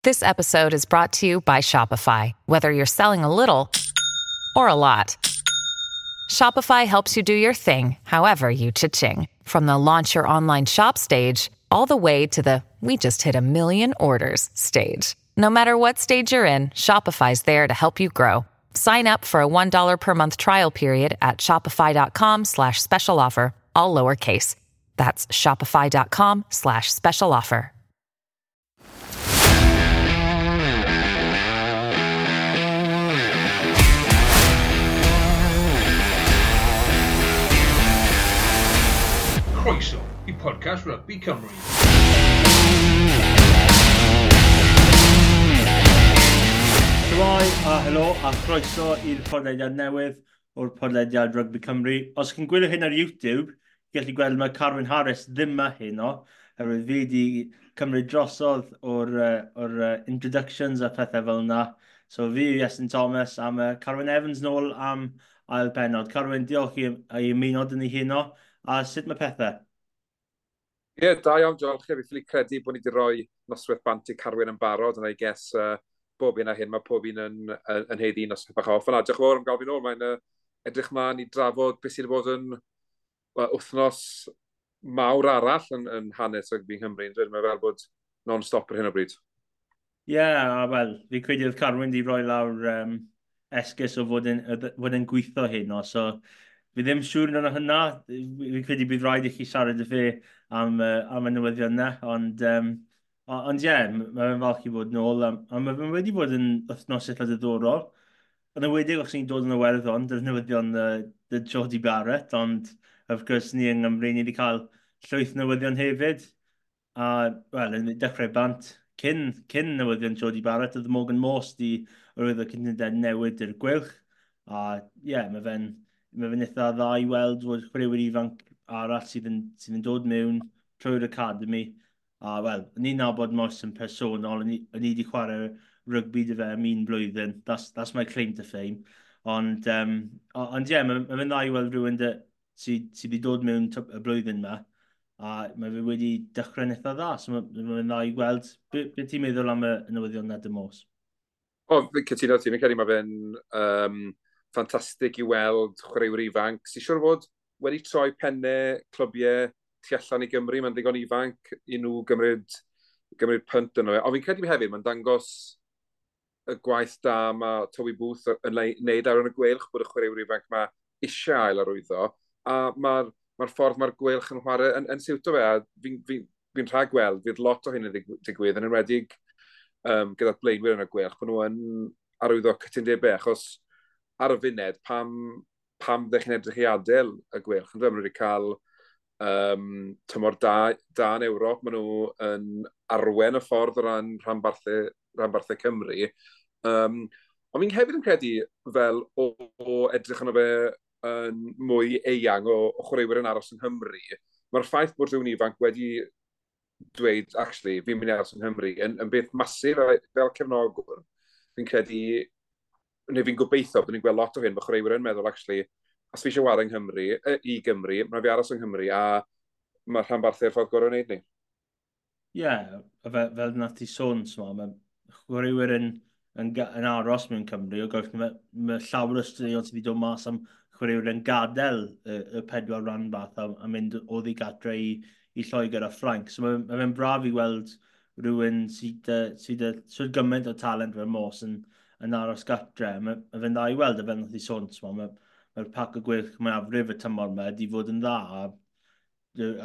This episode is brought to you by Shopify. Whether you're selling a little or a lot, Shopify helps you do your thing, however you cha-ching. From the launch your online shop stage, all the way to the we just hit a million orders stage. No matter what stage you're in, Shopify's there to help you grow. Sign up for a $1 per month trial period at shopify.com/special offer, all lowercase. That's shopify.com/special offer. Croeso i podcast Rugby Cymru. Shwmae a helo a chroeso i'r podlediad newydd o'r podlediad Rugby Cymru. Os chi'n gwylio hyn ar YouTube, gallu gweld mae Carwyn Harris ddim yma heno, oherwydd fi wedi cymryd drosodd o'r introductions a pethau fel yna. So fi yw Iestyn Thomas a mae Carwyn Evans nôl am ail bennod. Carwyn, diolch i ymuno dyn ni heno. A sut mae pethau? Ie, yeah, da iawn, diolch. Fi ffili credu bod ni wedi rhoi noswaith bant i Carwyn yn barod, and I guess bob un a hyn, mae pob un yn haeddu noswaith bach off. Yna, diolch yn fawr am gael fi nôl. Mae'n edrych mlaen i drafod beth sydd wedi bod yn wythnos mawr arall yn hanes rygbi Nghymru. Mae fel bod non-stop ar hyn o bryd. Ie, yeah, wel, fi credu oedd Carwyn wedi rhoi lawr esgus o fod yn gweithio heno, so fi ddim siŵr yn hynna. Fi credu bydd rhaid i chi siarad â fi am y newyddion yna, ond ie, yeah, mae'n falch i fod nôl, a mae wedi bod yn wythnos eitha diddorol. Yn enwedig os ni'n dod yn Iwerddon, dy'r newyddion dy Jody Barrett, ond of course ni yng Nghymru, ni wedi cael llwyth newyddion hefyd. A, wel, yn dechrau bant, cyn newyddion Jody Barrett, oedd Morgan Morse di arwyddo cytundeb newid i'r Gweilch. A ie, yeah, mae fe'n eitha dda i weld fod chwaraewyr ifanc arall sydd yn dod mewn trwy'r academy. A wel, ni'n nabod Morse yn personol, ni wedi chwarae rygbi dy fe am un blwyddyn. That's my claim to fame. Ond ie, mae fe'n dda i weld rhywun sydd wedi dod mewn y blwyddyn yma, a mae fe wedi dechrau'n eitha dda. So mae fe'n dda i weld. Be ti'n meddwl am y newyddion na dy Morse? O, fi'n cytuno ti. Fi'n credu mae fe'n ffantastig i weld chwaraewyr ifanc. Sy'n siŵr fod wedi troi pennau clybiau tu allan i Gymru, mae'n ddigon ifanc i nhw gymryd punt yno fe. Ond fi'n credu hefyd, mae'n dangos y gwaith da mae Toby Booth yn wneud ar y Gweilch, bod y chwaraewyr ifanc mae eisiau ail arwyddo, a mae'r ffordd mae'r Gweilch yn chwarae yn siwto fe, a fi'n rhagweld, fydd lot o hyn yn digwydd, yn enwedig gyda'r blaenwyr yn y Gweilch, bod nhw yn arwyddo cytundebau, achos ar y funed, pam ddech chi'n edrych i adael y Gweilch? Yn dweud, maen nhw wedi cael tymor da yn Ewrop, maen nhw yn arwen y ffordd o ran rhanbarthau Cymru. Ond fi'n hefyd yn credu fel o edrych arno fe yn mwy eang o chwaraewyr yn aros yng Nghymru, mae'r ffaith bod rhywun ifanc wedi dweud, actually, fi'n mynd i aros yng Nghymru, yn beth masif fel cefnogwr. Fi'n credu, neu fi'n gobeithio bod ni'n gweld lot o hyn, bod chwaraewyr yn meddwl, actually, os fi eisiau chwarae yng Nghymru, i Gymru, mae fi aros yng Nghymru, a mae'r rhanbarthau'r ffordd gorau wneud ni. Ie, yeah, fel nath ti sôn, mae chwaraewyr yn aros mewn Cymru, o gwrs mae llawer o straeon sydd wedi dod mas am chwaraewyr yn gadael y pedwar rhanbarth a mynd oddi gatre i Lloegr a Ffrainc. So mae fe'n braf i weld rhywun sydd sydd gymaint o talent fel Morse yn aros gatre. Mae fe'n dda i weld, a fel nath i sôn, mae'r pac o Gweilch mwyafrif y tymor yma wedi fod yn dda,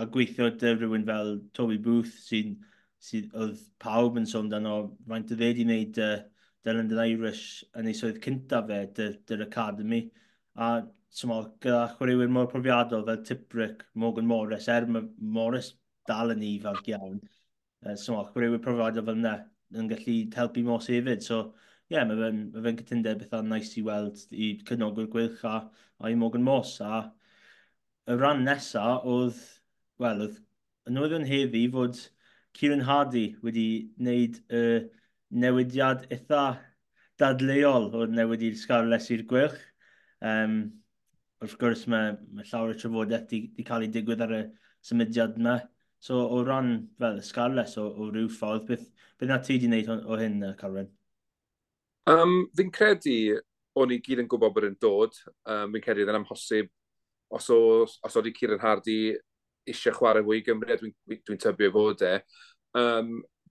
a gweithio dy rhywun fel Toby Booth sydd oedd pawb yn sôn dan o faint o dde wedi wneud dy London Irish yn ei swydd cyntaf fe, dy'r academy. A gyda chwaraewyr mor profiadol fel Tiprick, Morgan Morris, er mae Morris dal yn ifanc iawn, chwaraewyr profiadol fel yna yn gallu helpu Morse hefyd. So, ie, yeah, mae fe'n cytundeb eitha nice i weld i cefnogwyr Gweilch a i Morgan Morse. A y rhan nesaf oedd, wel, oedd y newyddion heddi fod Kieran Hardy wedi wneud y newidiad eitha dadleuol o'r newid i'r Scarlets i'r Gweilch. Wrth gwrs, mae llawer o trafodaeth di cael ei digwydd ar y symudiad yma. So, o ran fel y Scarlets o ryw ffordd, beth Beth na ti wedi wneud o hyn, Carwyn? Fi'n credu o'n i gyd yn gwybod bod yn dod. Fi'n credu oedd yn amhosib os oedd Kieran Hardy eisiau chwarae fwy i Gymru, a dwi tybio fod e.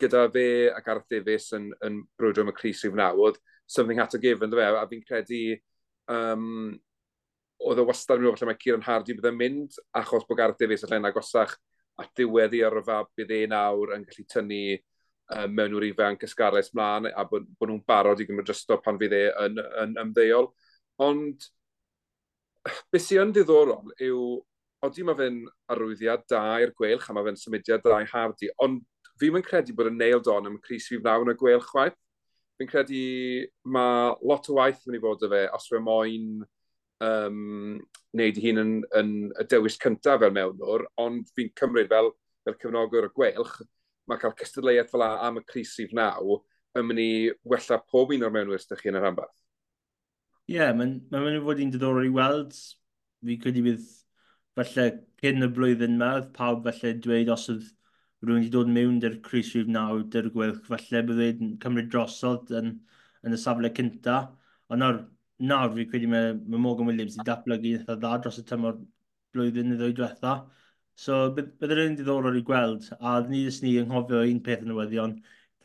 Gyda fe a Gareth Davies yn brwydro am y crys rhif 9, oedd something had to give, ynddo fe, a fi'n credu oedd e wastad yn meddwl falle mae Kieran Hardy bydd yn mynd, achos bod Gareth Davies allan agosach at ddiwedd i yrfa, bydd e nawr yn gallu tynnu mewnwr ifanc y Scarlets mlaen, a bod nhw'n barod i gymryd drosto pan fydd e yn ymddeol. Ond beth sy'n yn ddiddorol yw, odi mae fe'n arwyddiad da i'r Gweilch, a mae fe'n symudiad da i Hardy, ond fi'n mynd credu bod yn nailed on am y crys rhif 9 yn y Gweilch chwaith. Fi'n credu mae lot o waith yn mynd i fod y fe, os fe moyn wneud ei hun yn y dewis cyntaf fel mewnwr, ond fi'n cymryd fel cefnogwr y Gweilch, mae cael cystadleuaeth fel am y crys rhif 9 yn mynd i wella pob un o'r mewnwyr sydd chi yn y rhanbarth. Ie, yeah, mae'n mynd i fod yn diddorol i weld. Fi credu bydd falle cyn y blwyddyn yma, oedd pawb falle dweud os oedd rhywun wedi dod mewn dy'r crys rhif 9 dy'r Gweilch, falle bydd cymryd drosodd yn y safle cynta. Ond nawr fi credu mae Morgan Williams wedi datblygu eitha dda dros y tymor blwyddyn neu ddwy diwetha. So bydd yr un diddorol i gweld, a ni jyst ni ynghofio un peth yn newyddion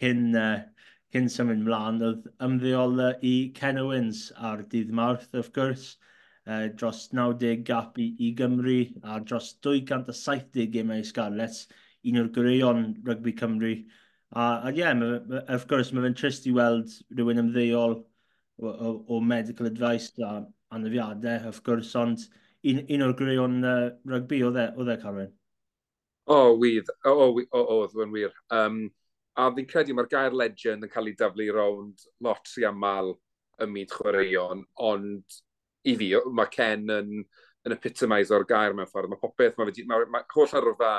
cyn symud mlaen, oedd ymddeol i Ken Owens ar dydd Mawrth, wrth gwrs, dros 90 gap i Gymru a dros 270 gemau i Scarlets, un o'r goreuon rygbi Cymru. A ie, yeah, wrth gwrs, mae fe'n trist i weld rhywun ymddeol o medical advice a anafiadau, wrth gwrs, ond un o'r goreuon rygbi oedd e, Carwyn? O, wydd. O, oedd yn wir. A fi'n credu mae'r gair legend yn cael ei daflu rownd lot rhy aml ym myd chwaraeon, ond i fi, mae Ken yn epitomise o'r gair mewn ffordd. Mae popeth, mae holl arwrfa,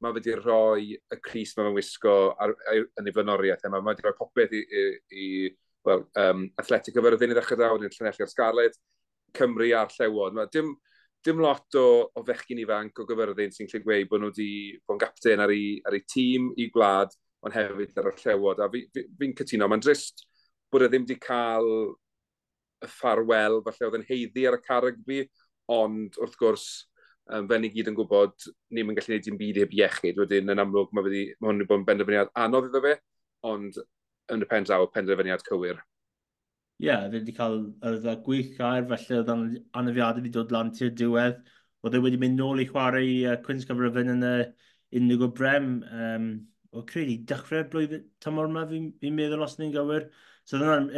mae wedi rhoi y crys mae fe'n wisgo yn ei flaenoriaeth. Mae wedi rhoi popeth i well, Athletic Cyfyrddin i ddechrau daw, yn Llanelli a'r Scarlett, Cymru a'r Llewod. Mae dim lot o fechgyn ifanc o Gyfyrddin sy'n gallu gweud bod nhw wedi bod yn gapten ar ei tîm, i gwlad, ond hefyd ar y Llewod. A fi'n cytuno, mae'n drist bod e ddim wedi cael y ffarwel, falle oedd yn haeddu ar y car rygbi, ond wrth gwrs, fel ni gyd yn gwybod, ni'n mynd gallu gwneud dim byd heb iechyd. Wedyn, yn amlwg, mae hwn wedi bod yn benderfyniad anodd iddo fe, ond yn y pen draw, penderfyniad cywir. Ie, yeah, fe wedi cael yr gwych air, felly oedd anafiadau wedi dod lan tu'r diwedd. Oedd e wedi mynd nôl i chwarae i Cwins Cyfrifyn yn y Indigo Brem. O credu, dechrau'r blwyddyn tymor yma, fi'n meddwl os ni'n gywir. So oedd hwnna'n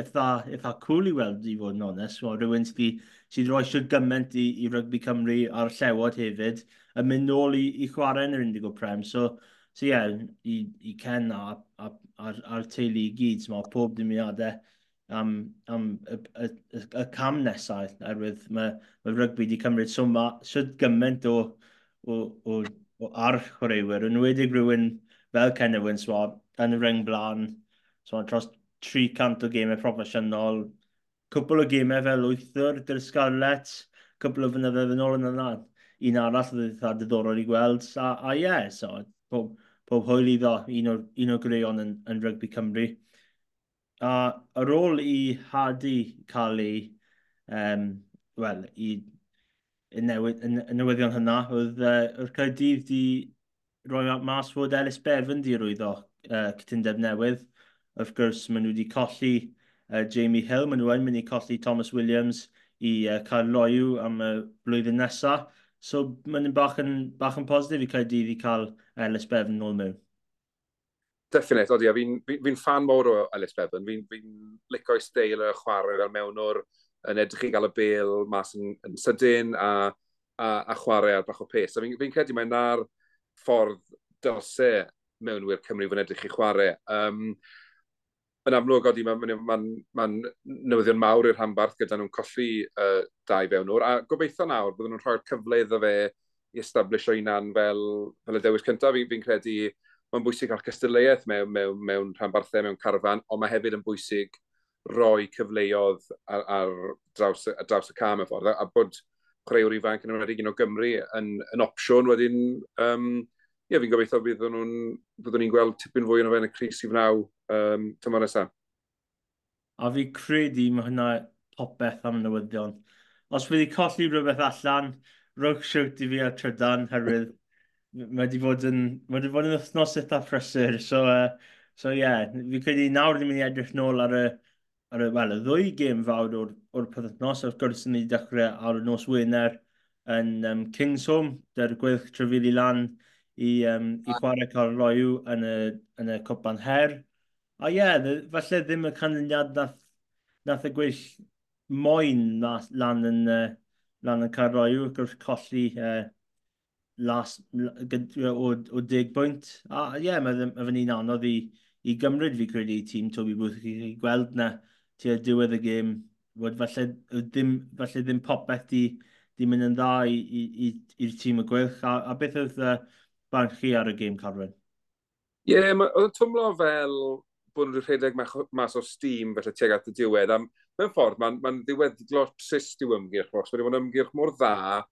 eitha cool i weld, i fod yn onest. Well, rhywun sydd roi siwr gymaint i rygbi Cymru a'r Llewod hefyd, yn mynd nôl i chwarae yn yr Indigo Prem. So yeah, i Ken a'r teulu i gyd, so, mae pob dymuniadau am y cam nesaf, oherwydd mae rygbi wedi cymryd so gymaint o ar chwaraewyr, yn enwedig rhywun fel Ken Owens, so, yn y reng blaen, so, dros 300 o gemau proffesiynol, cwpl o gemau fel wythwr dy'r Scarlets, cwpl o flynyddoedd yn ôl yn yna. Un arall oedd eitha diddorol i gweld, a ie, yeah, so, pob hwyl iddo, un o'r goreuon yn rygbi Cymru. A ar ôl i Hardy cael ei, wel, i newyddion hynna, oedd Caerdydd di roi mas fod Ellis Bevan di rwyddo cytundeb newydd. Wrth gwrs, maen nhw wedi colli Jamie Hill, maen nhw yn mynd i colli Thomas Williams i Caerloyw am y blwyddyn nesaf. So, maen nhw'n bach yn positif i Caerdydd i cael Ellis Bevan nôl mewn. Definite, odi, a fi'n fan mawr o Ellis Bevan. Fi'n lico'i steil y chwarae fel mewnwr, yn edrych i gael y bêl mas yn sydyn a chwarae ar bach o pace. A fi'n credu mae na'r ffordd dylse mewnwyr Cymru fod yn edrych i chwarae. Yn amlwg, odi, mae'n newyddion mawr i'r rhanbarth gyda nhw'n colli dau fewnwr, a gobeithio nawr bydden nhw'n rhoi'r cyfle iddo fe i establish o hunan fel y dewis cyntaf. Fi'n credu mae'n bwysig cael cystadleuaeth mewn rhanbarthau, mewn carfan, ond mae hefyd yn bwysig rhoi cyfleoedd ar draws y cam y ffordd, a bod chwaraewr ifanc yn enwedig un o Gymru yn opsiwn wedyn Ie, fi'n gobeithio byddwn ni'n gweld tipyn fwy yn o fe yn y crys i fnaw tymor nesaf. A fi credu mae hynna popeth am newyddion. Os fi wedi colli rhywbeth allan, rhowch siwt i fi ar trydan, herwydd mae wedi bod yn wythnos eitha prysur. So yeah, fi credu nawr ni'n mynd i edrych nôl ar y, well, y ddwy gêm fawr o'r penwythnos. Wrth gwrs, ni wedi dechrau ar y nos Wener yn Kingsholm, dy'r Gweilch trafeili lan i chwarae Caerloyw yn y Cwpan Her. A ie, yeah, falle ddim y canlyniad nath y Gweilch moyn lan yn Caerloyw, wrth gwrs colli o 10 bwynt. A ie, yeah, mae fe'n un anodd i gymryd, fi credu, i tîm Toby Booth i gweld na tua diwedd y gêm fod falle ddim popeth di mynd yn dda i'r tîm y Gweilch. A beth oedd barn chi ar y gêm, Carwyn? Ie, yeah, oedd yn twmlo fel bod nhw'n rhedeg mas o steam felly tuag at y diwedd. A mewn ffordd, mae'n ddiweddglo trist i'w ymgyrch. Mae wedi bod yn ymgyrch mor dda,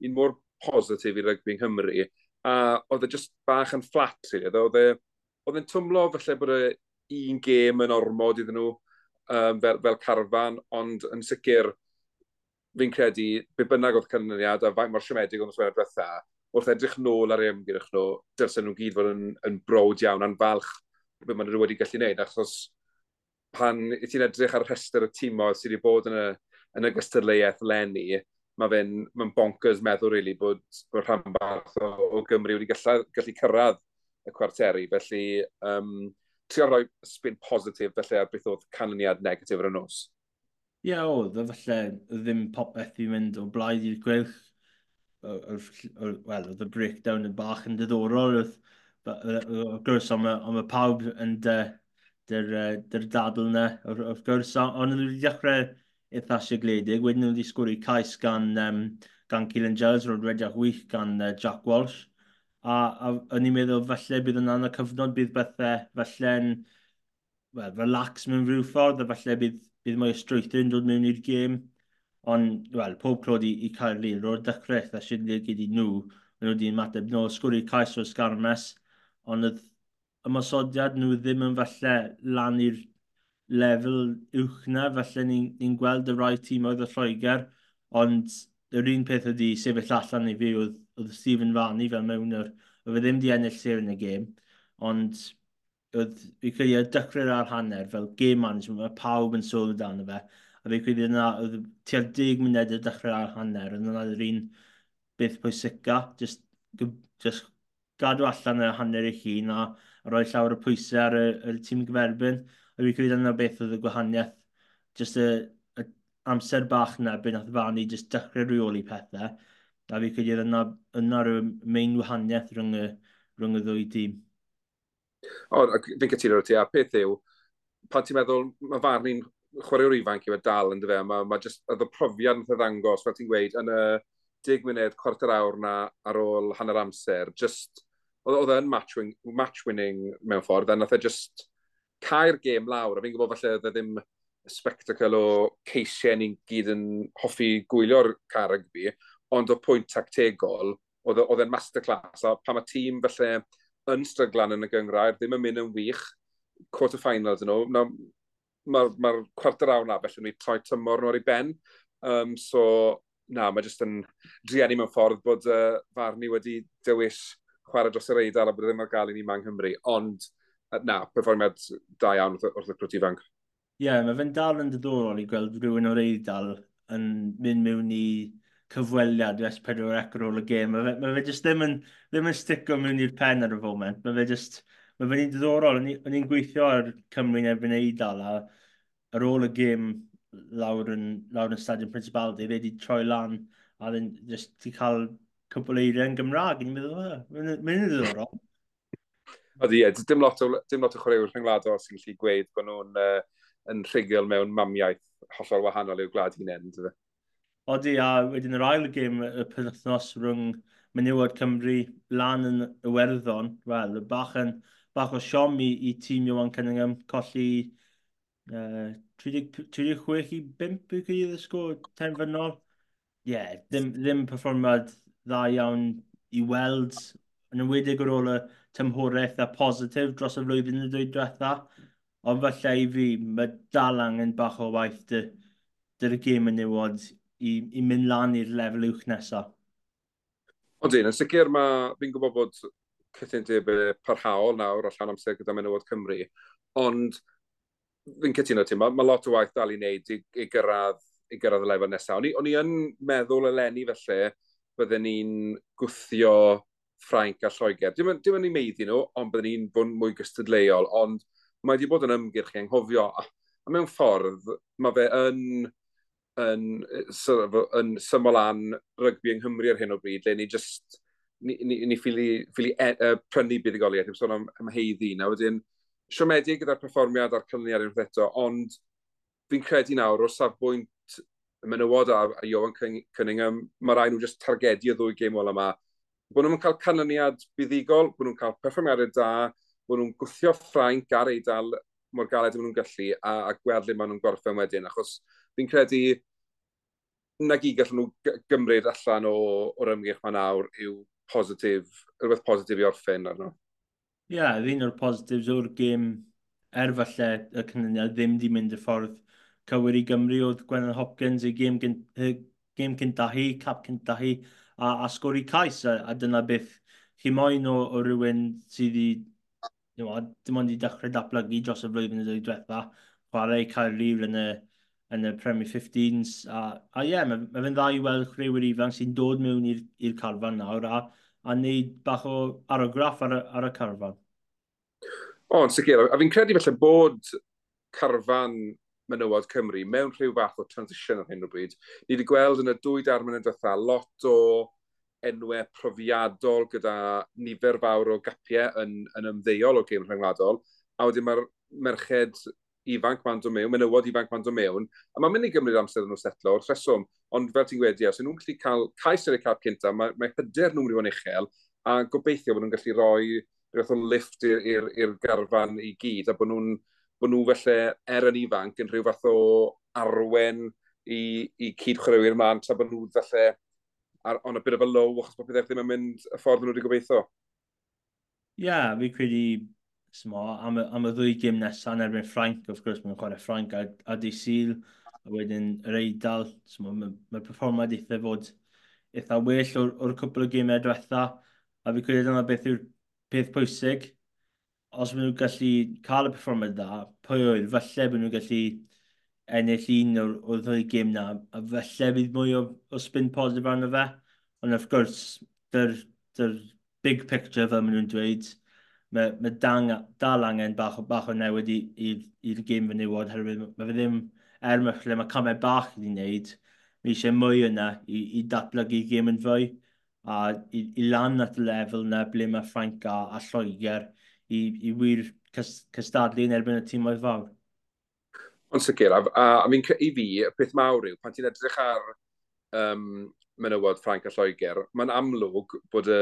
un mor positif i rygbi yng Nghymru, a oedd e just bach yn flat, really. Oedd e'n twmlo felly bod e un gêm yn ormod iddyn nhw fel carfan, ond yn sicr fi'n credu, be bynnag oedd canlyniad a faint mor siomedig oedd y diwetha, wrth edrych nôl ar eu ymgyrch nhw, dylsen nhw gyd fod yn browd iawn a'n falch beth maen nhw wedi gallu gwneud, achos pan i ti'n edrych ar y rhestr y timoedd sydd wedi bod yn y gystadleuaeth leni, mae'n bonkers meddwl, really, bod rhanbarth o Gymru wedi gallu cyrraedd y cwarteri. Felly, trio rhoi spin positif felly ar beth oedd canlyniad negatif ar y nos. Ie, yeah, oedd, falle ddim popeth i mynd o blaid i'r Gweilch. Wel, oedd y breakdown yn bach yn diddorol. Oedd, wrth gwrs, ond mae pawb yn dy'r dadl yna, wrth gwrs. Ond nhw wedi dechrau eitha sigledig. Wedyn nhw wedi sgori cais gan Keelan Giles, roedd rediad wych gan Jack Walsh. A o'n i'n meddwl falle bydd yna'n y cyfnod bydd bethau falle'n, well, relax mewn rhyw ffordd, a falle bydd mwy o strwythur yn dod mewn i'r gêm. Ond, wel, pob clod i Caerlŷr, o'r dechrau eitha sigledig i nhw, maen nhw wedi ymateb nôl, sgori cais o'r sgarmes, ond oedd ymosodiad nhw ddim yn falle lan i'r lefel uwch na, falle ni'n ni gweld y rai tîmoedd o Lloegr, ond yr un peth wedi sefyll allan i fi oedd Stephen Varney fel mewn yr, oedd e ddim wedi ennill sêr yn y gêm, ond oedd, fi credu ar dechrau'r ar hanner, fel game management, mae pawb yn sôn amdano fe, a fi credu yna, oedd tua'r 10 munud ar dechrau'r ar hanner, oedd yna yr un beth pwysica, just gadw allan y hanner eich hun a rhoi llawer o pwysau ar y tîm gyferbyn. A fi credu yna beth oedd y gwahaniaeth, just y amser bach na, beth nath Varney just dechrau rheoli pethau. A fi credu yna rhyw main wahaniaeth rhwng y ddwy dîm. O, fi'n cytuno ti, a peth yw, pan ti'n meddwl, mae Varney'n chwaraewr ifanc yw e dal yn dyfe, mae just, oedd y profiad yn ddangos, fel ti'n gweud, yn y 10 munud, cwarter awr na ar ôl hanner amser, just, oedd e'n match winning mewn ffordd, a nath e just cael gêm lawr, a fi'n gwybod falle oedd e ddim spectacle o ceisiau ni'n gyd yn hoffi gwylio'r car rygbi, ond o pwynt tactegol, oedd e'n masterclass, a pan mae tîm felly yn stryglan yn y gyngrair, ddim yn mynd yn wych, quarter-finals yn nhw, mae'r ma cwarter awr na felly nhw'n troi tymor nhw ar ei ben. So, na, mae jyst yn drueni mewn ffordd bod Varney wedi dewis chwarae dros yr Eidal a bod e ddim ar gael i ni yma yng Nghymru. Ond, na, perfformiad da iawn wrth y crwt ifanc. Ie, yeah, mae fe'n dal yn diddorol i gweld rhywun o'r Eidal yn mynd mewn i cyfweliad i S4C ar ôl y gêm. Mae fe jyst ddim yn stico mewn i'r pen ar y foment. Mae fe'n diddorol. O'n i'n gweithio ar Cymru'n erbyn Eidal a ar ôl y gêm lawr yn Stadiwm Principality, fe wedi troi lan a then just ti cael cwpl eiriau yn Gymraeg. Ni'n meddwl, mae'n ddiddorol. Ydy, ie, dim lot o chwaraewyr rhyngwladol sy'n gallu gweud bod nhw'n yn rhugl mewn mamiaith hollol wahanol i'w gwlad hunain. Odi, a wedyn yr ail gêm y penwythnos rhwng menywod Cymru lan yn Iwerddon, wel, bach o siom i tîm Ioan Cunningham, colli 36 i 5 i gyd y sgôr terfynol. Ie, yeah, ddim perfformiad dda iawn i weld. Yn enwedig ar ôl y tymhorau eitha positif dros y flwyddyn y dwy diwetha. Ond falle i fi, mae dal angen bach o waith dy'r gêm menywod i mynd lan i'r lefel uwch nesaf. Ond un, yn sicr mae, fi'n gwybod bod cytundebau parhaol nawr allan amser gyda menywod Cymru, ond fi'n cytuno ti, mae lot o waith dal i wneud i gyrraedd y lefel nesaf. O'n i yn meddwl eleni felly, bydden ni'n gwthio Ffrainc a Lloegr. Dim yn i meiddi nhw, ond bydden ni'n bod mwy gystadleuol, ond mae wedi bod yn ymgyrch i anghofio. A mewn ffordd, mae fe yn, sort of, yn syml lan rygbi yng Nghymru ar hyn o bryd, lle ni just, ni ffili prynu buddugoliaeth, dim sôn am heiddi. Na wedyn, siomedig gyda'r perfformiad a'r canlyniad unwaith eto, ond fi'n credu nawr o safbwynt y menywod a Ioan Cunningham, mae rhaid nhw just targedu y ddwy gêm ola yma. Bod nhw'n cael canlyniad buddugol, bod nhw'n cael perfformiadau da, bod nhw'n gwthio Ffrainc a'r Eidal mor galed maen nhw'n gallu a gweld le maen nhw'n gorffen wedyn. Achos fi'n credu na gyd gallen nhw gymryd allan o'r ymgyrch ma nawr yw positif, rhywbeth positif i orffen arno. Ie, yeah, un o'r positives o'r gêm, er falle y canlyniad ddim di mynd y ffordd cywir i Gymru, oedd Gwennan Hopkins ei gêm cynta hi, cap cynta hi, a sgori cais, a dyna beth chi moyn o rhywun sydd wedi, dim ond i dechrau datblygu dros y flwyddyn y ddwy diwetha, chwarae Caerlŷr yn y Premier 15s. A ie, yeah, mae fe'n dda i weld chwaraewyr ifanc sy'n dod mewn i'r carfan nawr a wneud bach o argraff ar y carfan. O, yn sicr. A fi'n credu felly bod carfan menywod Cymru mewn rhyw fath o transition ar hyn o bryd. Ni wedi gweld yn y 2 dair mlynedd diwetha lot o enwau profiadol gyda nifer fawr o gapiau yn ymddeol o gêm rhyngwladol. A wedyn mae'r merched ifanc ma'n dod mewn, menywod ifanc ma'n dod mewn, a mae'n mynd i gymryd amser nhw setlo o'r rheswm, ond fel ti'n gweud, os nhw'n gallu cael cais ar eu cap cynta, mae hyder nhw'n mynd i fod yn uchel, a gobeithio bod nhw'n gallu rhoi rhywbeth o lift i'r garfan i gyd, a bod nhw felly er yn ifanc yn rhyw fath o arwen i cyd-chwaraewyr mlaen, tra bod nhw felly on a bit of a low, achos bod pethau ddim yn mynd y ffordd nhw wedi gobeithio. Ie, yeah, fi credu smo, am y ddwy gêm nesaf yn erbyn Ffrainc, of course, mae'n chwarae Ffrainc a dydd Sul, a wedyn yr Eidal, mae perfformiad eitha fod eitha well o'r cwpl o gemau diwetha, a fi credu dyna beth yw'r peth pwysig. Os maen nhw'n gallu cael y perfformiad dda, pwy oedd, falle bod nhw'n gallu ennill un o'r ddwy gêm na, a falle bydd mwy o spin positif arno fe. Ond of course, dy'r big picture fel maen nhw'n dweud, mae dal angen bach o newid i'r gêm fenywod, herwydd mae fe ddim, er mae, lle mae camau bach i wneud, mae eisiau mwy yna i datblygu gêm yn fwy, a i lan at y lefel yna ble mae Ffrainc a Lloegr i wir cystadlu yn erbyn y tîmoedd fawr. Ond sicr, a i fi, y peth mawr yw, pan ti'n edrych ar menywod Ffrainc a Lloegr, mae'n amlwg bod y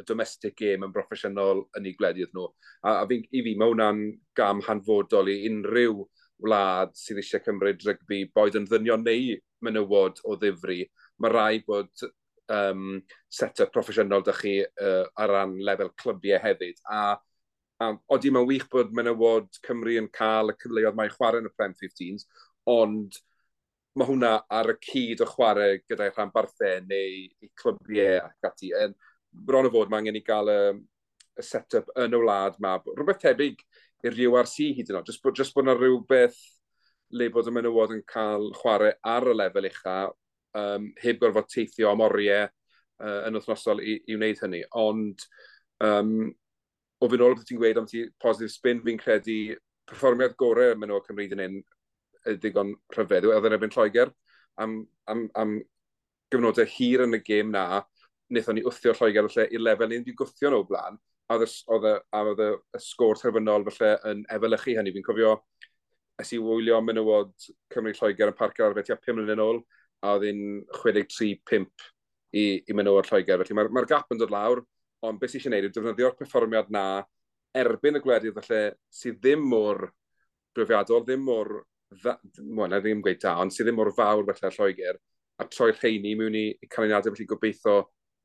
domestic game yn broffesiynol yn eu gwledydd nhw. A i fi, mae hwnna'n gam hanfodol i unrhyw wlad sydd eisiau cymryd rygbi, boed yn ddynion neu menywod o ddifri. Mae rhaid bod set-up proffesiynol 'da chi ar ran lefel clybiau hefyd. A odi, mae'n wych bod menywod Cymru yn cael y cyfleoedd mae chwarae yn y Prem 15s, ond mae hwnna ar y cyd o chwarae gyda'i rhanbarthau neu i clybiau ac ati. En, bron o fod, mae angen i gael y set-up yn y wlad ma. Rhywbeth tebyg i'r URC hyd yn oed. Just bod yna rhywbeth le bod y menywod yn cael chwarae ar y lefel ucha, heb gorfod teithio am oriau yn wythnosol i wneud hynny. Ond o fynd ôl beth ti'n gweud am ti positive spin, fi'n credu perfformiad gorau menywod Cymru yn hyn ddigon rhyfedd. Oedd yn erbyn Lloegr am gyfnodau hir yn y gêm na, wnaethon ni wthio Lloegr felly i'r lefel ni wedi gwthio nhw blaen, a oedd y sgôr terfynol felly yn efelychu hynny. Fi'n cofio es i wylio menywod Cymru Lloegr yn Parc yr Arfau tua 5 mlynedd yn ôl, a oedd hi'n 63-5 i menywod Lloegr. Felly mae'r gap yn dod lawr, ond beth sy'n eisiau gwneud yw defnyddio'r perfformiad na erbyn y gwledydd felly sydd ddim mor brofiadol, ddim mor, well, na ddim gweud da, ond sydd ddim mor fawr felly Lloegr, a troi'r rheini mewn i canlyniadau, felly gobeithio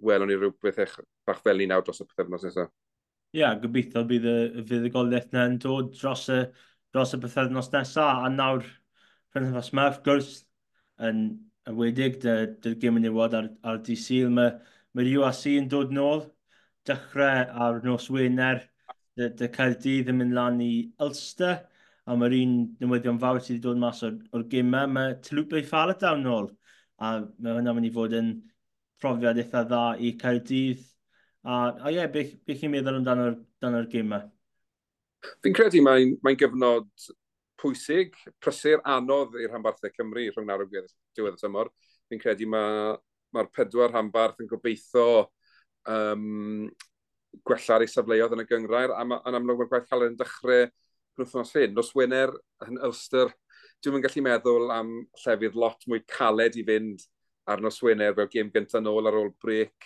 welwn ni rhywbeth eich bach fel ni nawr dros y pythefnos nesaf. Ie, yeah, gobeithio bydd y fuddugoliaeth yna yn dod dros y pythefnos nesaf. A nawr, penwythnos yma, wrth gwrs, yn enwedig dy'r gêm menywod ar dydd Sul, mae'r URC yn dod nôl, dechrau ar nos Wener, dy Caerdydd yn mynd lan i Ulster, a mae'r un newyddion fawr sydd wedi dod mas o'r gemau, mae Taulupe Faletau nôl, a mae hwnna'n mynd i fod yn profiad eitha dda i Caerdydd. A ie, beth chi'n meddwl amdano'r gemau? Fi'n credu mae'n gyfnod pwysig, prysur, anodd i'r rhanbarthau Cymru rhwng nawr a diwedd y tymor. Fi'n credu mae'r 4 rhanbarth yn gobeithio gwella ar eu safleoedd yn y gynghrair, a yn amlwg mae'r gwaith caled yn dechrau penwythnos hyn. Nos Wener yn Ulster, dwi'm yn gallu meddwl am llefydd lot mwy caled i fynd ar nos Wener fel gêm gyntaf nôl ar ôl brêc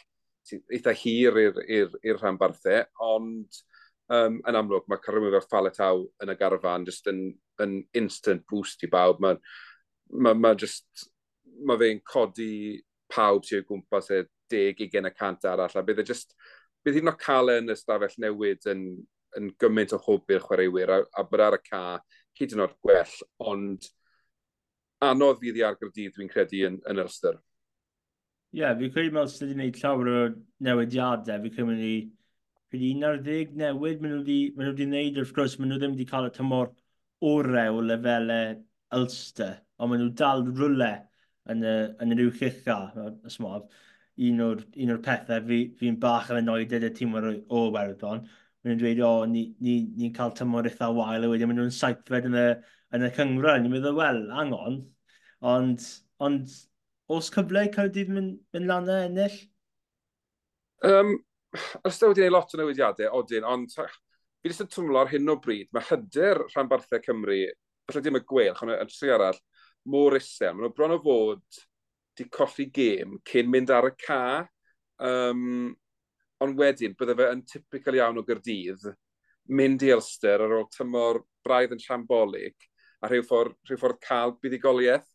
eitha hir i'r rhanbarthau, ond yn amlwg mae cael rhywun fel Faletau yn y garfan just yn instant boost i bawb. Mae fe'n codi pawb sy'n o gwmpas e 10-20% arall, a bydd hyd yn oed cael e yn y stafell newid yn gymaint o hwb i'r chwaraewyr, a bod ar y ca hyd yn oed gwell, ond anodd fydd i ar Gaerdydd, dwi'n credu, yn Ulster. Ie, yeah, fi'n credu mae Ulster wedi gwneud llawer o newidiadau. Fi'n credu maen nhw 11 newid maen nhw wedi gwneud. Wrth gwrs, maen nhw ddim wedi cael y tymor orau o lefelau Ulster, ond maen nhw dal rhywle yn yr uwch ucha. Un o'r pethau fi'n bach yn annoyed y tîm o Iwerddon. Maen nhw'n dweud, o, ni'n cael tymor eitha wael, a wedyn maen nhw'n saithfed yn y cynghrair. Ni'n meddwl, wel, hang on. Ond oes cyfle i Caerdydd mynd lan a ennill? Ulster wedi gwneud lot o newidiadau, odyn, ond fi jyst yn twmlo ar hyn o bryd, mae hyder rhanbarthau Cymru, falle dim y Gweilch, ond y tri arall, mor isel. Maen nhw bron o fod di colli gêm cyn mynd ar y ca. Ond wedyn, bydde fe yn typical iawn o Gaerdydd, mynd i Ulster ar ôl tymor braidd yn shambolic, a rhyw ffordd cael buddugoliaeth.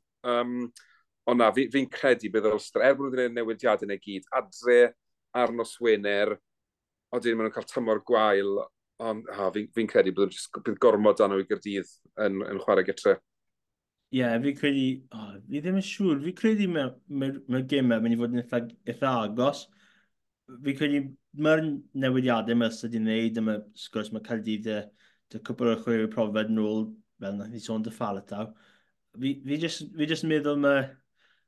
Ond na, fi'n credu bydd Ulster, er bod nhw wedi gwneud newidiadau neu gyd, adre ar nos Wener, odyn maen nhw'n cael tymor gwael, ond fi'n credu bydd gormod dan nhw i Gaerdydd yn chwarae gytre. Ie, yeah, fi'n credu, fi ddim yn siŵr, fi'n credu mae'r gemau mynd i fod yn eitha agos. Fi'n credu mae'r newidiadau mae Ulster wedi wneud, a mae, sgwrs, mae Caerdydd dy cwpl o'r chwaraewyr profiad nôl, fel nath ni sôn dy Faletau. Fi just yn meddwl mae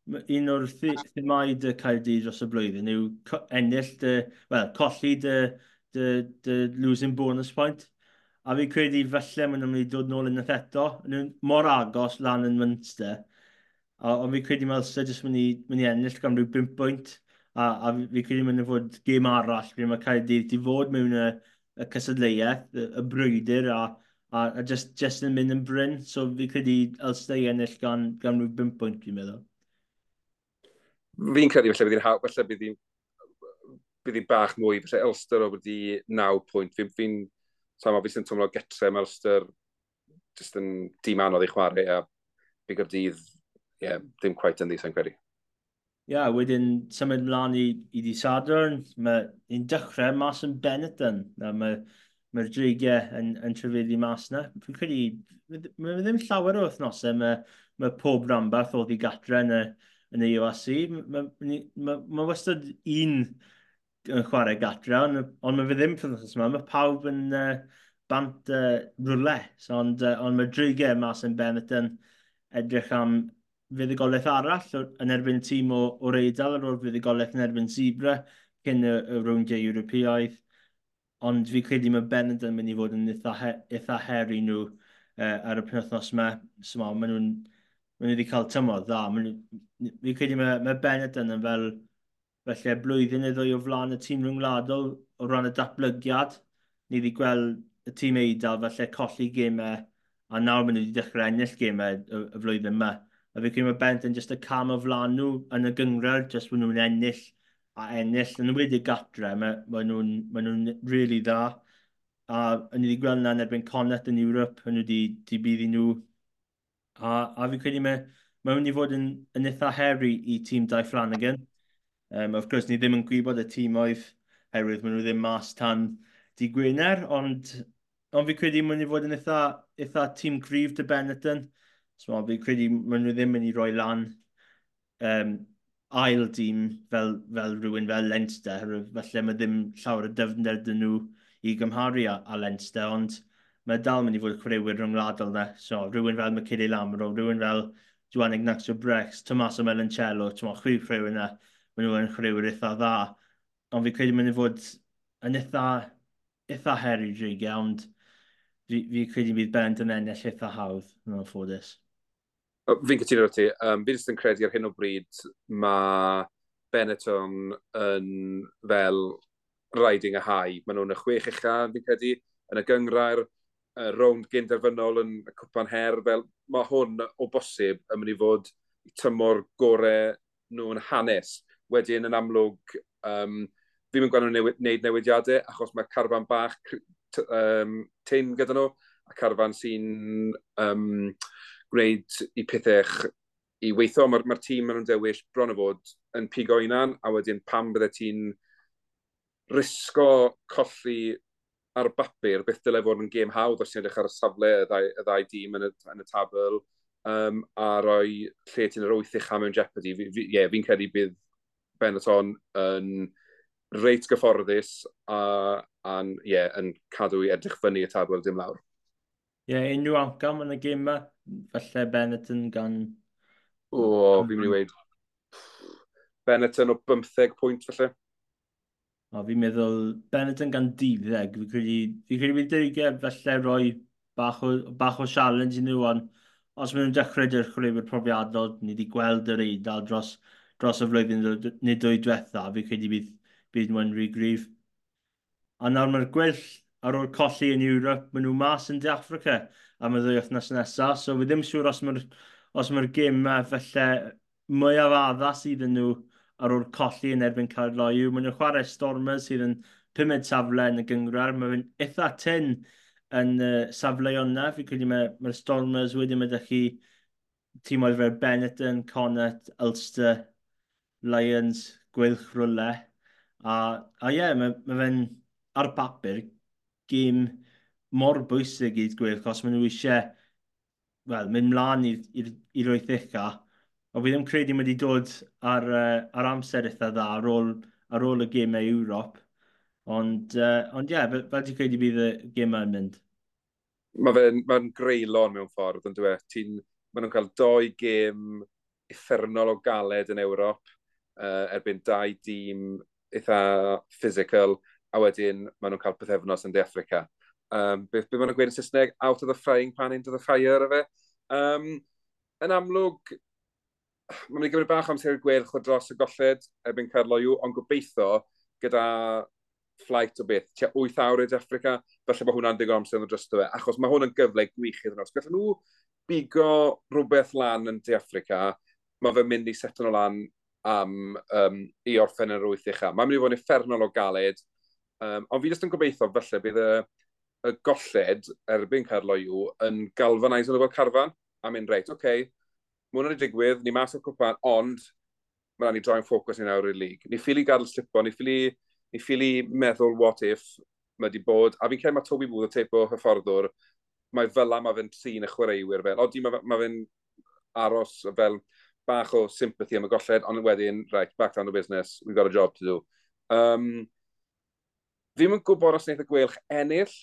un o'r themau dy Caerdydd dros y blwyddyn yw ennill colli dy losing bonus point. A fi'n credu falle maen nhw'n mynd i dod nôl unwaith eto. Nhw'n mor agos lan yn Munster. Ond fi'n credu mae Ulster jyst mynd i ennill gan rhyw 5 pwynt. A fi'n credu mynd i fod gêm arall. Fi'n mae Caerdydd di fod mewn y cystadleuaeth, y brwydr, a just yn mynd yn bryn. So fi'n credu Ulster i ennill gan rhyw 5 pwynt, fi'n meddwl. Fi'n credu falle bydd hi'n bach mwy. Falle Ulster o wedi 9 pwynt. Fi'n fi sy'n twmlo getre, mae Ulster jyst yn dîm anodd i chwarae, a fi Gaerdydd, ie, dim quite yn ddi, sa'n credu. Ie, yeah, wedyn symud mlaen i di Sadwrn, mae'n dechrau mas yn Benetton. Mae'r dreigiau yn trefyddu mas yna. Fi'n credu, mae ddim llawer o wythnosau, mae pob rhanbarth oedd i gatre yn y URC. Mae wastad un yn chwarae gatre, ond mae fe ddim wythnos yma. Mae pawb yn bant rwle. So, ond mae dreigiau mas yn Benetton edrych am fuddugoliaeth arall yn erbyn tîm o'r Eidal ar ôl fuddugoliaeth yn erbyn Zebra cyn y rowndiau Ewropeaidd. Ond fi credu mae Benetton yn mynd i fod yn eitha her i nhw ar y penwythnos yma. So, maen nhw wedi cael tymor dda. Fi credu mae Benetton yn fel felly blwyddyn neu ddwy o flaen y tîm rhyngwladol o ran y datblygiad. Ni wedi gweld y tîm Eidal falle colli gemau, a nawr maen nhw wedi dechrau ennill gemau y flwyddyn yma. A fi credu mae Benetton jyst y cam o flaen nhw yn y gynghrair, jyst maen nhw'n ennill a ennill. Yn enwedig gatre, maen nhw'n really dda. A ni wedi gweld yna yn erbyn Connacht yn Ewrop, maen nhw wedi bydd i nhw. A fi credu mae'n mynd i fod yn eitha her i tîm Dai Flanagan. Of course, ni ddim yn gwybod y tîmoedd, herwydd maen nhw ddim mas tan di Gwener, ond fi credu maen nhw fod yn eitha tîm cryf dy Benetton. So, fi credu maen nhw ddim yn mynd i roi lan ail dîm fel rhywun fel Leinster, felly mae ddim llawer o dyfnder dyn nhw i gymharu â Leinster, ond mae dal mynd i fod chwaraewyr rhyngwladol na. So, rhywun fel Michele Lamaro, rhywun fel Juan Ignacio Brex, Tommaso Menoncello, ti'n chwaraewyr yna, maen nhw yn chwaraewyr eitha dda. Ond fi credu mynd i fod yn eitha her i Dreigiau, ond fi credu bydd Benetton yn ennill eitha hawdd, yn anffodus. Fi'n cytuno ti. Fi jyst yn credu ar hyn o bryd mae Benetton yn fel riding a high. Maen nhw'n y 6 ucha, fi'n credu, yn y gyngrair, rownd gynderfynol yn y cwpan her. Fel, mae hwn o bosib yn mynd i fod tymor gorau nhw'n hanes. Wedyn yn amlwg, fi'n mynd gweld nhw'n wneud newidiadau, achos mae carfan bach tyn gyda nhw, a carfan sy'n gwneud i pethau i weithio. Mae'r tîm maen nhw'n dewis bron o fod yn pigo unan, a wedyn pam bydde ti'n risgo colli ar bapur, beth dyle fod yn gêm hawdd os ti'n edrych ar y safle y ddau dîm yn y tabl, a rhoi lle ti'n yr wyth ucha mewn jeopardy. Yeah, fi'n credu bydd Benetton yn reit gyfforddus a yeah, yn cadw i edrych fyny y tabl, dim lawr. Ie, yeah, unrhyw amcam yn y gêm yma? Falle Benetton gan? O, fi'n mynd i weud Benetton o 15 pwynt falle. O, fi'n meddwl Benetton gan 12. Fi credu bydd Dreigiau falle roi bach o challenge i nhw, ond os maen nhw'n dechrau dy'r chwaraewyr profiadol, ni wedi gweld yr Eidal dros y flwyddyn neu dwy diwetha, fi credu bydd nhw'n rhy gryf. A nawr mae'r Gweilch ar ôl colli yn Ewrop, maen nhw mas yn De Affrica am y 2 wythnos nesaf, so fi ddim siŵr os mae'r gêm yma falle mwyaf addas iddyn nhw ar ôl colli yn erbyn Caerloyw. Maen nhw'n chwarae Stormers sydd yn pumed safle yn y gyngrair. Mae'n eitha tyn yn safle yna. Fi credu mae Stormers wedi mynd â chi tîmoedd fel Benetton, Connacht, Ulster, Lions, Gweilch rwle. A ie, yeah, mae fe'n ar bapur gêm mor bwysig i'r Gweilch os maen nhw eisiau, well, mynd mlaen i'r wyth ucha. Ond fi ddim credu mae wedi dod ar amser eitha dda ar ôl y gemau Ewrop. Ond ie, yeah, fel ti'n credu bydd y gemau yn mynd? Mae fe'n ma greulon mewn ffordd, yn dweud. Maen nhw'n cael doi gêm uffernol o galed yn Ewrop, erbyn dau dîm eitha physical, a wedyn maen nhw'n cael pythefnos yn De Affrica. Beth maen nhw'n gweud yn Saesneg? "Out of the frying pan into the fire", efe. Yn amlwg, mae'n mynd i gymryd bach amser i'r Gweilch o dros y golled erbyn Caerloyw, ond gobeithio gyda flight o beth, tua 8 awr i Affrica, falle bod hwnna'n digon amser yn drosto fe, achos mae hwn yn gyfle gwych iddyn nhw. Os gallen nhw bigo rhywbeth lan yn De Affrica, mae fe'n mynd i seto nhw lan am i orffen yn yr wyth ucha. Mae'n mynd i fod yn uffernol o galed, ond fi jyst yn gobeithio falle bydd y golled erbyn Caerloyw yn galvanise nhw fel carfan, a mynd reit, oce, okay, mae hwnna wedi digwydd, ni mas o'r cwpan, ond mae rhaid ni droi'n ffocws ni nawr i'r lig. Ni ffili gadael slipo, ni ffili meddwl what if mae wedi bod, a fi'n credu mae Toby Booth, y teip o hyfforddwr, mae fel mae fe'n trin y chwaraewyr fel, odi mae fe'n aros fel bach o sympathy am y golled, ond wedyn, right, back down to business, we've got a job to do. Fi'n yn gwybod os wnaeth y Gweilch ennill,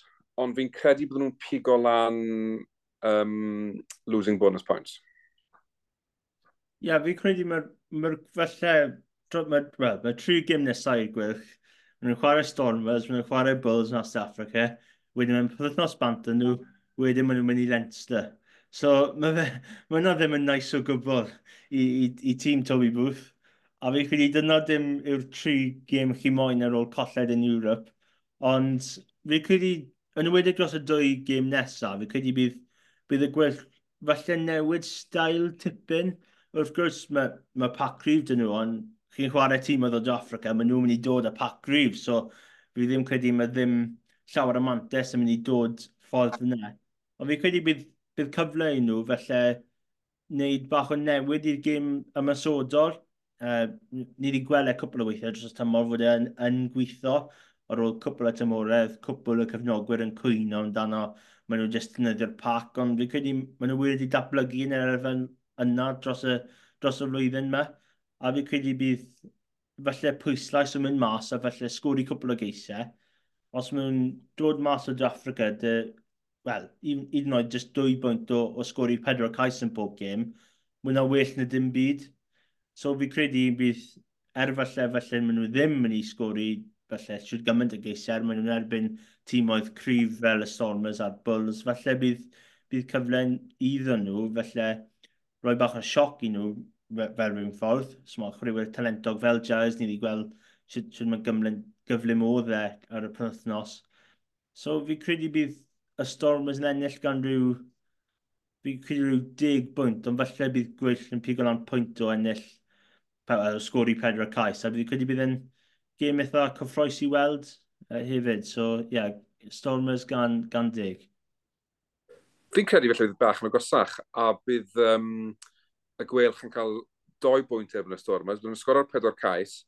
ond fi'n credu bod nhw'n pigo lan losing bonus points. Ie, yeah, fi'n credu mae'r falle, well, mae tri gêm nesaf i'r Gweilch. Maen nhw'n chwarae Stormers, maen nhw'n chwarae Bulls yn South Africa, wedyn mae'n pythefnos bant yn nhw, wedyn maen nhw'n mynd i Leinster. So mae hwnna ddim yn nice o gwbl i tîm Toby Booth. A fi credu dyna dim yw'r tri gêm chi moyn ar ôl colled yn Europe. Ond fi credu, yn enwedig dros y dwy gêm nesaf, fi credu bydd y Gweilch falle newid style tipyn. Wrth gwrs, mae pac cryf dyn nhw, ond chi'n chwarae tîm o ddod o Africa, maen nhw'n mynd i dod â pac cryf, so fi ddim credu mae ddim llawer o mantes yn mynd i dod ffordd yna. Ond fi credu bydd cyfle i nhw, felly wneud bach o newid i'r gêm ymosodol. Ni wedi gweld e cwpl o weithiau dros y tymor fod e'n yn gweithio ar ôl cwpl o tymoredd, cwpl o cefnogwyr yn cwyno amdano, maen nhw jyst defnyddio'r pac, ond fi'n credu maen nhw wedi datblygu yn yr elfen yna dros y flwyddyn yma, a fi'n credu bydd falle pwyslais yn mynd mas a falle sgori cwpl o geisiau. Os maen nhw'n dod mas o De Affrica, wel, hyd yn oed jyst 2 bwynt o sgori pedwar cais yn pob gêm, mae hwnna well na dim byd. So fi credu bydd, er falle maen nhw ddim yn mynd i sgori falle siwr gymaint o geisiau, maen nhw'n erbyn tîmoedd cryf fel y Stormers a'r Bulls, falle bydd cyfle iddyn nhw, falle rhoi bach o sioc i nhw fel rhywun ffordd. So mae chwaraewyr talentog fel Giles, ni wedi gweld sut mae gyflym oedd e ar y penwythnos. So fi credu bydd y Stormers yn ennill gan rhyw, fi credu rhyw 10 bwynt, ond falle bydd Gweilch yn pigo lan pwynt o ennill, o sgori pedwar cais. A fi credu bydd yn gêm eitha cyffrous i weld hefyd. So, ie, yeah, Stormers gan 10. Fi'n credu felly bydd bach yn agosach, a bydd y Gweilch yn cael 2 bwynt erbyn y Stormers. Bydd nhw'n sgoro'r pedwar cais,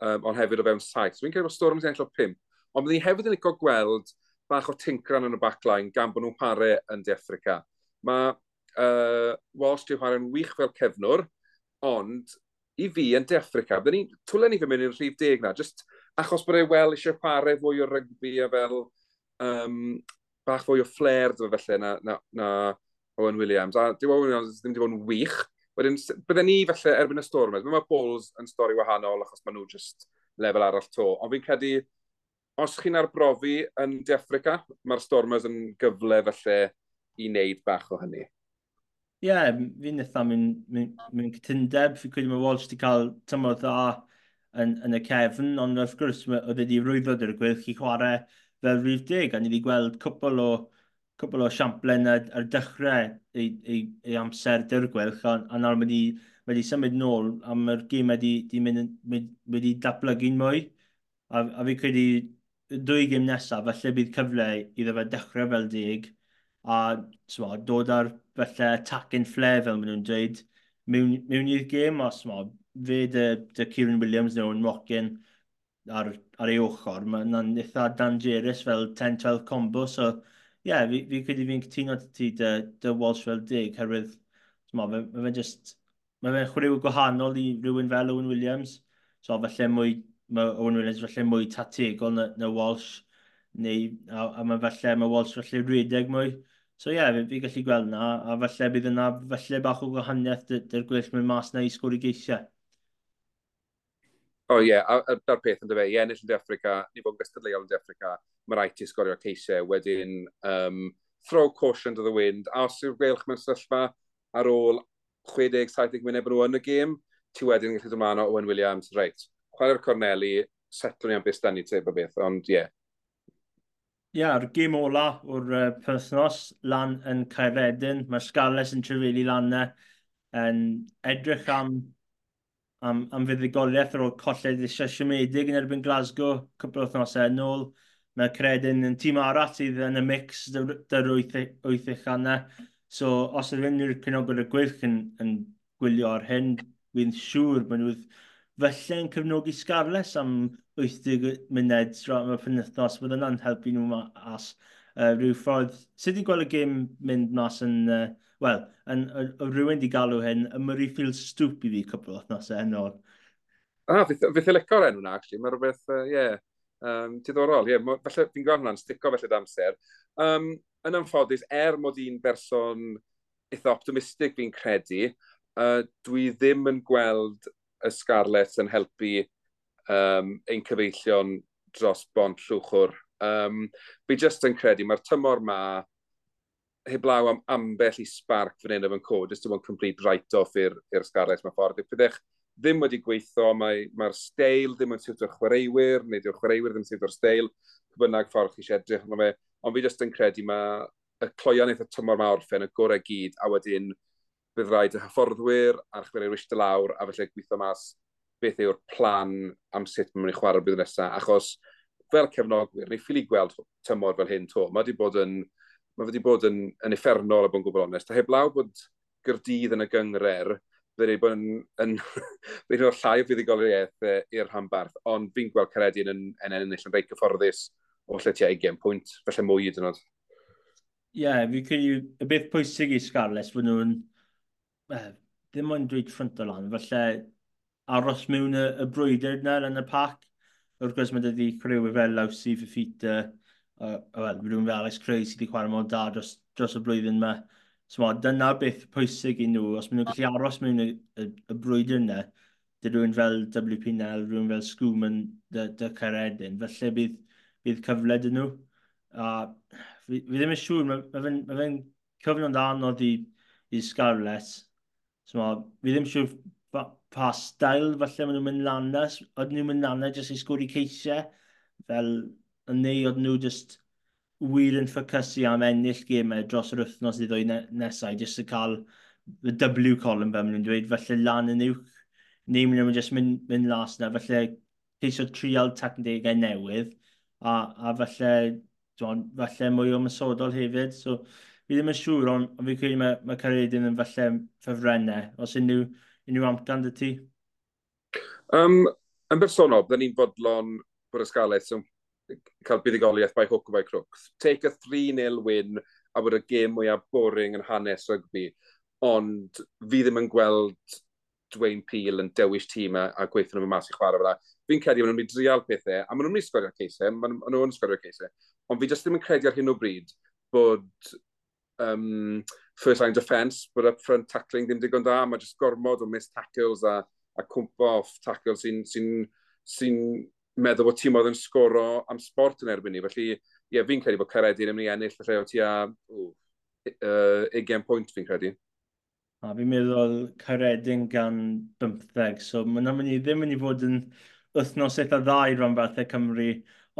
ond hefyd o fewn 7. So fi'n credu bod Stormers yn ennill o 5. Ond bydd ni hefyd yn licio gweld bach o tincran yn y backline gan bod nhw'n chwarae yn De Affrica. Mae Walsh di chwarae'n wych fel cefnwr, ond i fi yn De Affrica, byddwn ni, twlen ni fy mynd i'r rhif 10 na, just achos bod e wel eisiau chwarae fwy o rygbi a fel bach fwy o flair dwi felly na Owen Williams. A dyw Owen Williams ddim wedi bod yn wych. Wedyn, bydden ni felly erbyn y Stormers, mae Bulls yn stori wahanol achos maen nhw just lefel arall to. Ond fi'n credu, os chi'n arbrofi yn De Affrica, mae'r Stormers yn gyfle felly i wneud bach o hynny. Ie, yeah, fi'n eitha mewn cytundeb. Fi'n credu mae Walsh wedi cael tymor dda yn y cefn, ond wrth gwrs oedd wedi rwyddo dy'r Gweilch i chwarae fel rhif 10, a ni wedi gweld cwpl o siamplen ar dechrau ei amser dy'r Gweilch, a nawr mae wedi symud nôl, a mae'r gêm wedi datblygu'n mwy. A fi credu dwy gêm nesaf, falle bydd cyfle iddo fe dechrau fel 10, a sma, dod ar falle attacking flair fel maen nhw'n dweud mewn i'r gêm, a sma, fe dy Kieran Williams neu Owen Watkin ar ei ochr, mae yna'n eitha dangerous fel 10-12 combo, so ie, yeah, fi credu fi'n cytuno ti dy Walsh fel 10, herwydd mae fe just, mae fe'n chwaraewr gwahanol i rhywun fel Owen Williams, so falle mwy, mae Owen Williams falle mwy tategol na Walsh, neu, a mae falle, mae Walsh falle rhedeg mwy. So ie, yeah, fi gallu gweld na, a falle bydd yna falle bach o gwahaniaeth dy'r Gweilch mynd mas na i sgori geisiau. O ie, yeah, a da'r peth yn dyfe, i ennill yn De Affrica, ni bod yn gystadleuol yn De Affrica, mae rhaid ti sgorio ceisiau, wedyn throw caution to the wind, a os yw'r Gweilch mewn sefyllfa ar ôl 60-70 munud bod nhw yn y gêm, ti wedyn yn gallu dod mlaen o Owen Williams, reit, chwarae'r corneli, setlwn ni am beth ni teip o beth, ond ie. Yeah. Ie, yeah, yr gêm ola o'r penwythnos lan yn Caeredin, mae'r Scarlets yn trafeili lan e, yn edrych am fuddugoliaeth ar ôl colled eisiau siomedig yn erbyn Glasgow cwpl o wythnosau yn ôl. Mae Caeredin yn tîm arall sydd yn y mix dy'r wyth uchaf. So, os ydyn nhw'r cefnogwyr y Gweilch yn gwylio ar hyn, fi'n siŵr bod nhw felly yn cefnogi Scarlets am 80 munud am y penwythnos, bydd yna'n helpu nhw mas rhyw ffordd. Sut i'n gweld y gêm mynd mas yn, wel, rhywun di galw hyn, y Murrayfield Stoop i fi cwpl o wythnosau yn ôl. Ah, fi licio'r enw na, actually. Mae rhywbeth, yeah, diddorol. Yeah, falle fi'n gweld hwnna'n stico felly amser. Yn anffodus, er mod i'n berson eitha optimistig fi'n credu, dwi ddim yn gweld y Scarlets yn helpu ein cyfeillion dros bont Llwchwr. Fi jyst yn credu, mae'r tymor ma, heblaw am ambell i spark fan hyn efo cod, jyst yn complete write-off i'r Scarlets mewn ffordd. Byddech ddim wedi gweithio, mae'r steil ddim yn siwto'r chwaraewyr, neu dyw'r chwaraewyr ddim yn siwto'r steil, bynnag ffordd chi eisiau edrych arno fe. Ond fi jyst yn credu mae y cloion eitha tymor ma orffen y gorau gyd, a wedyn bydd rhaid y hyfforddwyr a'r chwaraewyr eistedd lawr, a felly gweithio mas beth yw'r plan am sut mae'n mynd i chwarae'r blwyddyn nesaf, achos fel cefnogwyr, ni ffili gweld tymor fel hyn to. Mae wedi bod yn uffernol, a bod yn gwbl onest. A heblaw bod Gaerdydd yn y gynghrair, Byddwn ni bod yn yn rhoi llai o fuddugoliaeth i'r rhanbarth, ond fi'n gweld Caeredin yn ennill yn reit gyfforddus o lle tua 20 pwynt, felly mwy hyd yn oed. Ie, yeah, fi credu y beth pwysig i Scarlets fod nhw'n, ddim ond dweud ffrynt o lan, falle aros mewn y brwydr yna yn y pac. Wrth gwrs mae dydy chwaraewyr fel Lawsi, Fifita, wel, rhywun fel Alex Cray sydd wedi chwarae mor da dros y blwyddyn yma. So, dyna beth pwysig i nhw, os maen nhw'n gallu aros mewn y brwydr yna, dy rhywun fel WP Nel, rhywun fel Schoeman, dy Caeredin, felly bydd cyfle dyn nhw. A fi ddim yn siŵr, mae fe'n cyfnod anodd i Scarlets. So, fi ddim yn siŵr pa stael falle maen nhw'n mynd lan na. Oedden nhw'n mynd lan na jyst i sgori ceisiau, fel neu oedden nhw jyst wir yn ffocysu am ennill gemau dros yr wythnos i ddwy nesau, jyst i cael y W column fel maen nhw'n dweud, felly lan yn uwch, neu maen nhw'n jyst mynd las na, felly ceisio trial tactegau newydd, a falle, falle mwy o ymosodol hefyd. So, fi ddim yn siŵr, ond fi credu mae Caeredin yn falle ffefrennau. Os unrhyw amcan dy ti? Yn bersonol, byddwn ni'n fodlon bod y Scarlets yn cael buddugoliaeth by hook or by crook. Take a 3-0 win a bod y gêm mwyaf boring yn hanes rygbi. Ond fi ddim yn gweld Dwayne Peel yn dewis tîm a gweithio nhw mas i chwarae fel 'na. Fi'n credu maen nhw'n mynd i drial pethau, a maen nhw'n mynd i sgorio ceisiau, maen nhw'n sgorio ceisiau. Ond fi jyst ddim yn credu ar hyn o bryd bod first line defence, bod up front tackling ddim digon da, mae jyst gormod o missed tackles a cwmpo off tackles sy'n meddwl bod tîm oedd yn sgoro am sport yn erbyn ni. Felly, ie, fi'n credu bod Caeredin yn mynd i ennill felly o tua 20 pwynt fi'n credu. A fi'n meddwl Caeredin gan 15, so mae'n mynd i ddim mynd i fod yn wythnos eitha dda i ranbarthau Cymru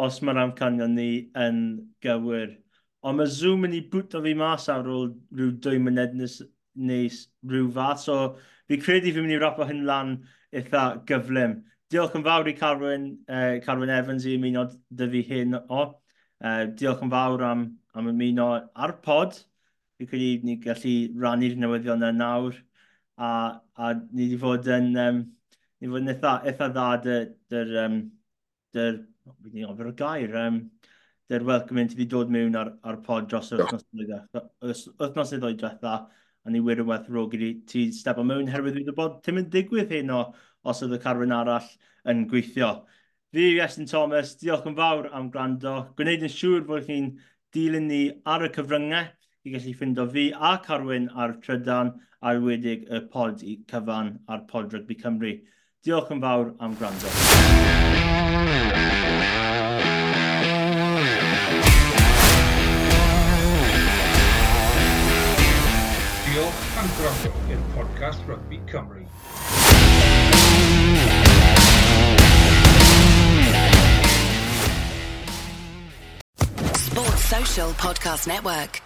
os mae'r amcanion ni yn gywir. Ond mae Zoom yn ei bwto fi mas ar ôl rhyw 2 munud neu rhyw fath, so fi credu fi'n mynd i wrapo hyn lan eitha gyflym. Diolch yn fawr i Carwyn Evans i ymuno dy fi hyn o. Diolch yn fawr am ymuno ar pod. Fi credu ni gallu rannu'r newyddion yna nawr. A ni wedi fod yn, ni fod yn eitha dda dy'r welcome in ti wedi dod mewn ar pod dros yr wythnos neu ddwy diwetha, a ni wir yn werthfawrogi i ti stepo mewn, herwydd fi wedi bod ti'n mynd digwydd hyn o os oedd y Carwyn arall yn gweithio. Fi yw Iestyn Thomas, diolch yn fawr am gwrando. Gwneud yn siŵr fod chi'n dilyn ni ar y cyfryngau i gallu ffindo fi a Carwyn ar Trydan a'r wedig y pod i cyfan ar Pod Rygbi Cymru. Diolch yn fawr am gwrando. Diolch am gwrando i'r podcast Rygbi Cymru. Sports Social Podcast Network.